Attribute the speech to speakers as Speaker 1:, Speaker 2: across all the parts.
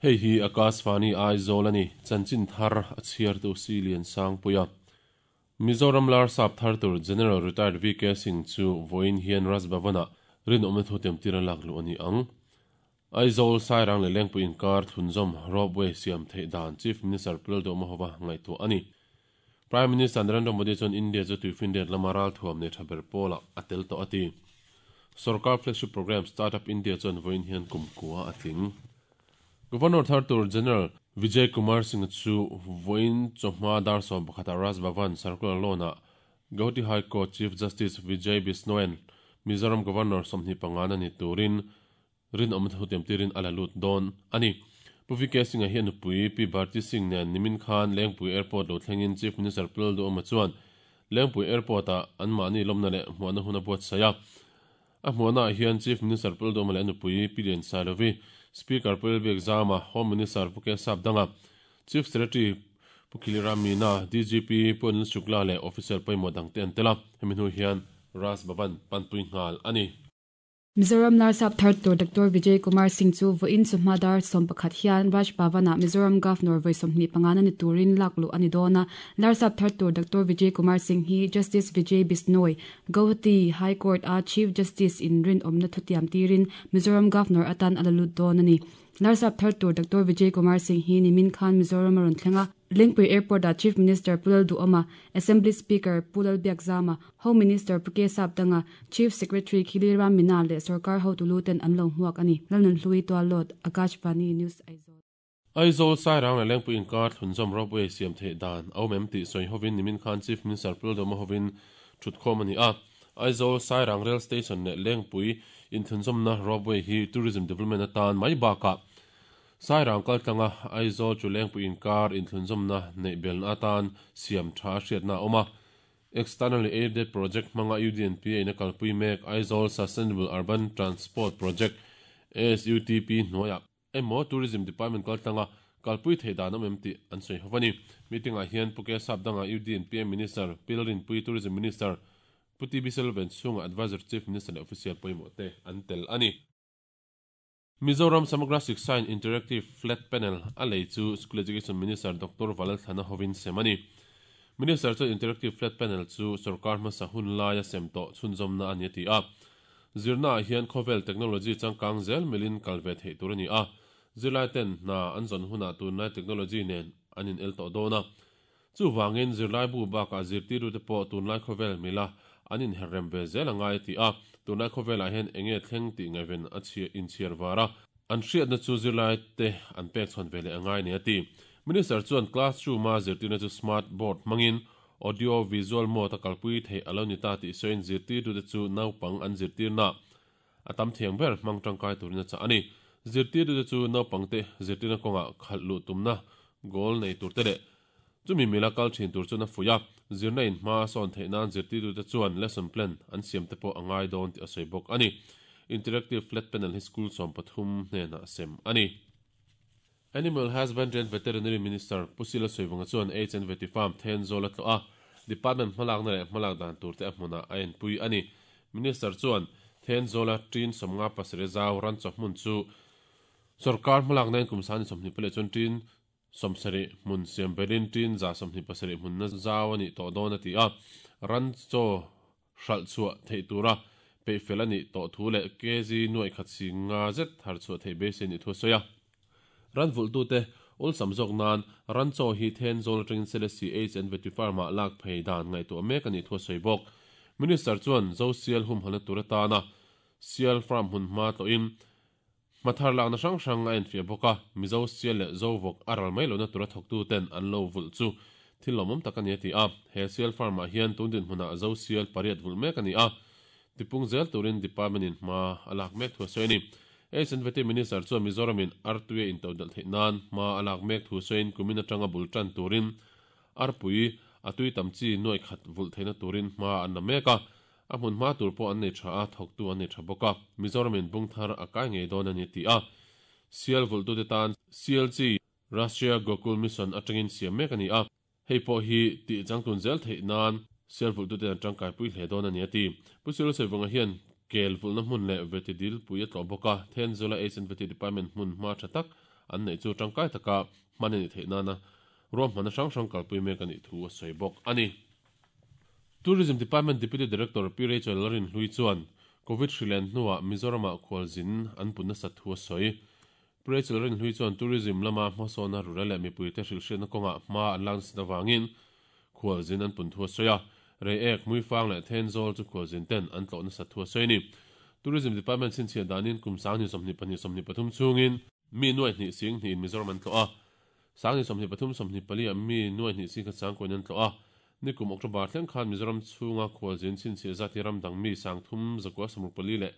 Speaker 1: Hei hi Akashvani Aizawl a ni, chanchin thar a chhiartu Si Liansangpuia. Mizoram Larsap thar tur General Retired VK Singh chu vawiin hian Raj Bhavan-ah rinawmna thu temtir a lak luh a ni ang. Aizawl, Sairang leh Lengpui inkar thlunzawm Ropeway siam theih dan Chief Minister Pu Lalduhoma hova ngaihtuah a ni. Prime Minister Narendra Modi chuan India chu tuifinriat lama ralthuam nei tha ber pawlah a tel tawh a ti. Sorkar flagship programme Startup India chuan vawiin hian kum kua a tling. Governor thar tur General Vijay Kumar Singh chu vawiin chawhma dar 11 ah Raj Bhavan Circular Lawn-ah Gauhati High Court Chief Justice Vijay Bisnoian Mizoram Governor 25 na ni turin Rinawmna thu tiamtirin a la lut dawn a ni. Pu VK Singh-a hi a nupui Pi Bharti Singh nen nimin khan Lengpui Airport lo thlengin Chief Minister Pu Lalduhawma chuan Lengpui Airport-ah anmahni lawmna leh hmuahna hun a buatsaih a. A hmuahnaah hian Chief Minister Pu Lalduhawma leh a nupui Pi Liansailovi, Speaker Pu Lalbiakzama, Home Minister Pu Kesap Danga, Chief Secretary Pu Khiliram Meena, DGP Pu Anil Shukla leh officer pawimawh dangte an tel a. Hemi hnu hian Raj Bhavan panpui nghal a ni.
Speaker 2: Mizoram Larsap thar tur Doctor Vijay Kumar Singh chu vawiin chawhma dar 11 hian Raj Bhavan-ah Mizoram Governor vawi 25 na ni turin lak luh a ni dawn a. Larsap thar tur Doctor Vijay Kumar Singh hi Justice Vijay Bishnoi, Guwahati High Court-a Chief Justice in rinawmna thutiam tirin Mizoram Governor atan a la lut dawn a ni. Larsap thar tur Doctor Vijay Kumar Singh hi nimin khan Mizoram a rawn thleng a. Lengpui Airport-ah Chief Minister Pu Lalduhawma, Assembly Speaker Pu Lalbiakzama, Home Minister Pu K Sapdanga, Chief Secretary Khili Ram Meena leh sorkar hotu lu ten an lo hmuak a ni. Lalnunhlui Tuallawt, Akashvani News Aizawl.
Speaker 1: Aizawl, Sairang leh Lengpui inkar thlunzawm ropeway siam theih dan a awm em tih sawi hovin nimin khan Chief Minister Pu Lalduhawma hovin thutkhawm a ni a. Aizawl, Sairang Rail Station leh Lengpui inthlunzawmna ropeway hi Tourism Development atan mai bakah Sairang kaltlanga Aizawl chu Lengpui inkar inthlunzawmna neih belna atan siam tha a hriatna a awm a. Externally Aided Project hmanga UDNP a ina kalpui mek Aizawl Sustainable Urban Transport Project, ASUTP, hnuaiah emaw Tourism Department kaltlanga kalpui theih dan awm em tih an sawi ho a ni. Meeting-ah hian Pu Kesap danga UDNPA Minister, Pi Lalrinpui, Tourism Minister, Pu TB Selven chhunga Adviser Chief Minister leh Official pawimawh te an tel a ni. Mizoram Samagra Shiksha in Interactive Flat Panel a lei chu School Education Minister Doctor Valalthlana hovin sem a ni. Minister chuan Interactive Flat Panel chu sorkar hmasa hun laia sem tawh chhunzawmna a ni a ti a. Zirnaah hian khawvel technology changkang zel milin kal ve theih tur a ni a. Zirlai ten hna an zawn hunah tunlai technology nen an in el tawh dawn a. Chuvangin zirlaibu bakah zirtirtute pawh tunlai khawvel mila an inherrem ve zel a ngai a ti a, tunlai khawvelah hian enge thleng tih ngaihven a inchhiar var a, an hriatna chu zirlaite an pek chhawn ve leh a ngai ni a ti. Minister chuan classroom-a zirtirna chu smart board hmangin audio visual mode a kalpui theih a lo ni ta tih sawiin zirtirtute chu naupang an zirtirna a tam thiang ber hmang tangkai turin a chah a ni. Zirtirtute chu naupangte zirtirna kawngah khalh luh tumna goal nei turte leh chumi mila kal thin tur chuan a fuih a, zirna in hma a sawn theih nan zirtirtute chuan lesson plan an siam te pawh a ngai dawn tih a sawi bawk a ni. Interactive flat panel hi school 13 hnenah sem a ni. Animal Husbandry and Veterinary Minister Pu Sila Sawivawnga chuan Aids and Vety Farm Thenzawl a tlawh a, Department hmalakna leh hmalak dan turte a hmunah a enpui a ni. Minister chuan Thenzawla ṭin 57 zau ran chaw hmun chu sawrkar hmalaknain kum sani 20 leh chuan ṭin 70 hmun siam belin ṭin 127 hmunna zau a nih tawh dawn a ti a, ran chaw hralh chhuah theih tura peih fel a nih tawh thu leh kg nuaih khat si nga zet thar chhuah theih beisei a nih thu a sawi a. Ran vulhtute awlsam zawk nan ran chaw hi Thenzawl atangin Selesih H and Vety Farm-ah lak phei dan ngaihtuah mek a nih thu a sawi bawk. Minister chuan Zo Sial humhalna tur atana Sial Farm hmun hma tlawhin hma thar lakna hrang hrang a enfiah bawk a, Mizo sial leh Zovawk a ral mai lohna tura thawktuten an lo vulh chu thil lawmawm tak a ni a ti a. He sial farm-ah hian tun dinhmunah Zo sial pariat vulh mek a ni a, tipung zel turin department-in hma a lak mek thu a sawi a ni. H&Vety Minister chuan Mizoramin artui a intodelh theih nan hma a lak mek thu sawiin kumin atanga bul tan turin arpui a tui tam chi nuaih khat vulh theihna turin hma an la mek a, A hmun hma tur pawh an nei tha a, thawktu an nei tha bawk a, Mizoramin bung thar a kai ngei dawn a ni ti a. Sial vulhtute tan CLG, Rashtriya Gokul Mission atangin siam mek a ni a, hei pawh hi tih changtlun zel theih nan sial vulhtute an tangkaipui hle dawn a ni a ti. Pu Cyril Saivunga hian kel vulhna hmun leh veti dilpui a tlawh bawk a, Thenzawl-a Aids and Veti Department hmun hma tha tak an neih chu tangkai taka hman a nih theih nana ruahmanna hrang hrang kalpui mek a nih thu a sawi bawk a ni. Tourism Department Deputy Director Pi Rachel Lalrinhlui chuan Covid hrilen hnuah Mizoramah khualzin an pun nasat thu a sawi. Pi Rachel Lalrinhlui chuan tourism lama hmasawnna rura leh mipuite hrilhhriatna kawngah hma an lak nasat avangin khualzin an pun thu a sawi a. Reiek, Hmuifang leh Thenzawl chu khualzin ten an tlawh nasat thu a sawi a ni. Tourism Department chhinchhiah danin kum 2022 23 chhungin mi nuai hnih sing hnihin Mizoram an tlawh a. 2023 24 ah mi nuai hnih sing khat sang kuain an tlawh a. Nikum October thleng khan Mizoram chhunga khualzin chhinchhiah zat hi ram dang mi 3364 leh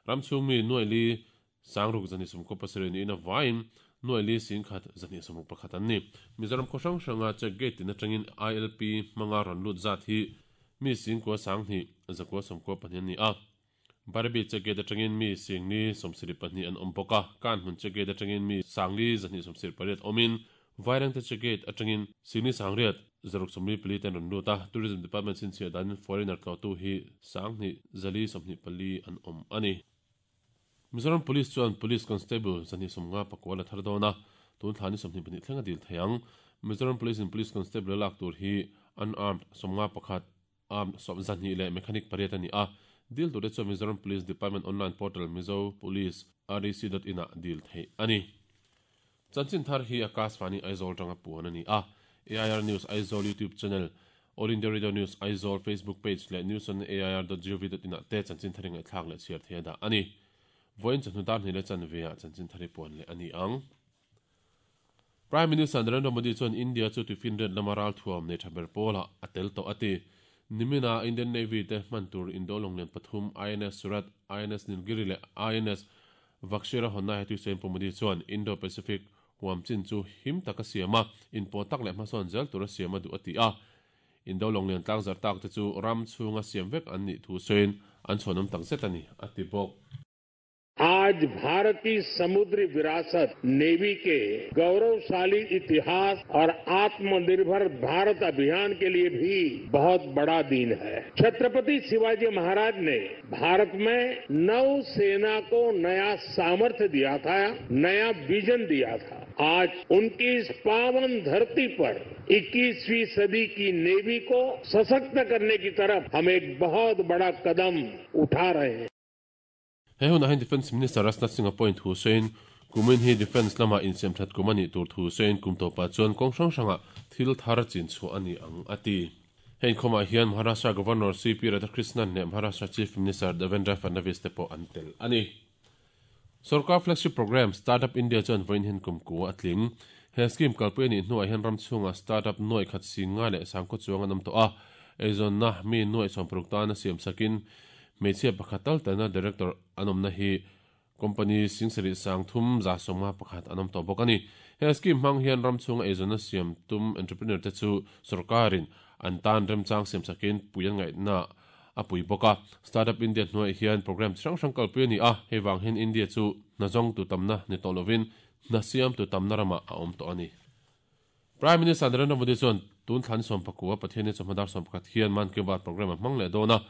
Speaker 1: ram chhung mi nuai li Sangruk zahnih sawmkaw pasarih niin a vaiin nuai li singkhat zahnih sawmruk pakhat an ni. Mizoram khaw hrang hranga check gate tin atangin ILP hmanga rawn lut zat hi mi singkua sanghnih zakua sawmkua pahnih an ni a. Barabi check gate atangin mi singli sawmsarih pahnih an awm bawk a, Kanhmun check gate atangin mi sangli zahnih sawmsarih pariat awmin Vairengte check gate atangin singli sangriat zaruk sawmli pali te an rawn lut a, Tourism Department chhinchhiah danin foreigner tlawhtu hi sanghnih zali sawmhnih pali an awm a ni. Mizoram Police chuan Police Constable 250 pakual a thar dawn a, tun thla ni 22 thleng a dil thei ang. Mizoram Police in Police Constable a lak tur hi unarmed 51, armed 2 leh mechanic pariat a ni a. Dil turte chuan Mizoram Police Department online portal Mizo Police rec dot in ah dil theih a ni. Chanchin thar hi Akashvani Aizawl tanga puan a ni a. AIR News Aizawl YouTube channel, All India Radio News Aizawl Facebook page leh news on air dot gov dot in ah te chanchin thar i ngaihthlak leh chhiar thei a dah a ni. Vawiin chawhnu dar hnih leh chanve ah chanchin thar i puan leh a ni ang. Prime Minister Narendra Modi chuan India chu tuifinriat lama ralthuam nei tha ber pawlah a tel tawh a ti. Nimina Indian Navy te hman tur Indo lawnglian pathum INS Surat, INS Nilgiri leh INS Vakshira hawnna he tuisain Pu Modi chuan Indo-Pacific huam chin chu him taka siam a, inpawh tak leh hmasawn zel tura siam a duh a ti a. Indo lawnglian tlangzarh tak te chu ram chhunga siam vek an nih thu sawiin an chhuanawm tak zet a ni, a ti bawk.
Speaker 3: Aaj Bharat ki samudri virasat Navy ke gauravshali itihas aur Atmanirbhar Bharat Abhiyan ke liye bhi bahut bada din hai. Chhatrapati Shivaji Maharaj ne Bharat mein नौसेना को नया सामर्थ्य दिया था, नया vision दिया था। आज उनकी इस पावन धरती पर 21वीं सदी की नेवी को सशक्त करने की तरफ हम एक बहुत बड़ा कदम उठा रहे हैं।
Speaker 1: He hunah hian Defence Minister Rajnath Singh a point thu sawiin, kumin hi Defence lamah insiamthat kum a nih tur thu sawiin kum tawpah chuan kawng hrang hrangah thil thar chin chhuah a ni ang a ti. Heng khawmah hian Maharashtra Governor CP Radhakrishnan leh Maharashtra Chief Minister Devendra Fadnavis te pawh an tel a ni. Sorkar flagship programme Startup India chuan vawiin hian kum ku a tling. He scheme kalpui a nih hnuah hian ram chhungah startup nuaih khat sing nga leh sangkaw chuang an awm tawh a. Eizawnna mi nuaih sawmparuk tana siam sakin hmeichhia pakhat tal talna director an awmna hi Company singsarih sang thum za sawmnga pakhat an awm tawh bawk a ni. He scheme hmang hian ram chhunga eizawnna siam tum entrepreneur te chu sorkarin an tan remchang siam sakin pui an ngaihna a pui bawk a. Startup India hnuaiah hian programme chi hrang hrang kalpui a ni a, hei vang hian India chu hna zawng tu tamna ni tawh lovin hna siam tu tamna ramah a awm tawh a ni. Prime Minister Narendra Modi chuan tun thlan sawmpakua Pathianni chawhma dar 11 hian Mann Ki Baat programme a hmang leh dawn a,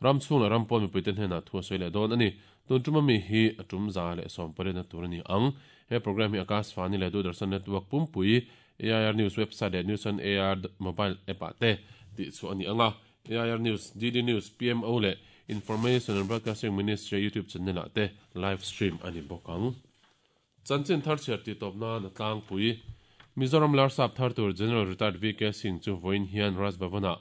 Speaker 1: ram chhung leh ram pawn mipuite hnenah thu a sawi leh dawn a ni. Tun tum ami hi a tum 118 na tur a ni ang. He programme hi Akashvani leh Doordarshan Network pumpui, AIR News website leh News on AIR mobile app ah te tih chhuah a ni ang a. AIR News, DD News, PMO leh Information and Broadcasting Ministry YouTube channel ah te live stream a ni bawk ang. Chanchin thar chhiar tih tawp nan a tlangpui. Mizoram Larsap thar tur General Retired VK Singh chu vawiin hian Raj Bhavan-ah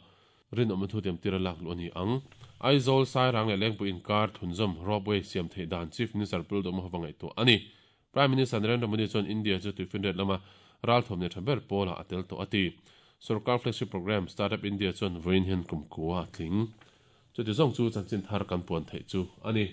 Speaker 1: rinawmna thu tiamtir a lak luh a ni ang. Aizawl, Sairang leh Lengpui inkar thunzawm ropeway siam theih dan Chief Minister Pu Lalduhma hova ngaihtuah a ni. Prime Minister Narendra Modi chuan India chu tuifinriat lama ralthuam nei tha ber pawlah a tel tawh a ti. Sorkar flagship programme Startup India chuan vawiin hian kum kua a tling. Chuti zawng chu chanchin thar kan puan theih chu a ni.